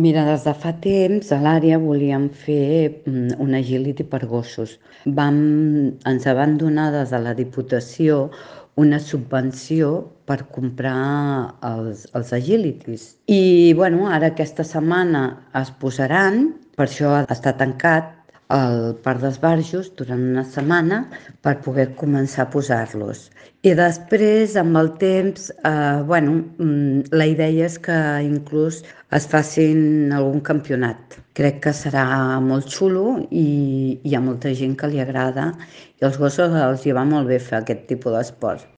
Mira, des de fa temps a l'àrea volíem fer un agility per gossos. Ens van donar des de la Diputació una subvenció per comprar els agilities. I bueno, ara aquesta setmana es posaran, per això està tancat al Parc d'Esbarjos durant una setmana per poder començar a posar-los. I després, amb el temps, la idea és que inclús es facin algun campionat. Crec que serà molt xulo i hi ha molta gent que li agrada i als gossos els hi va molt bé fer aquest tipus d'esport.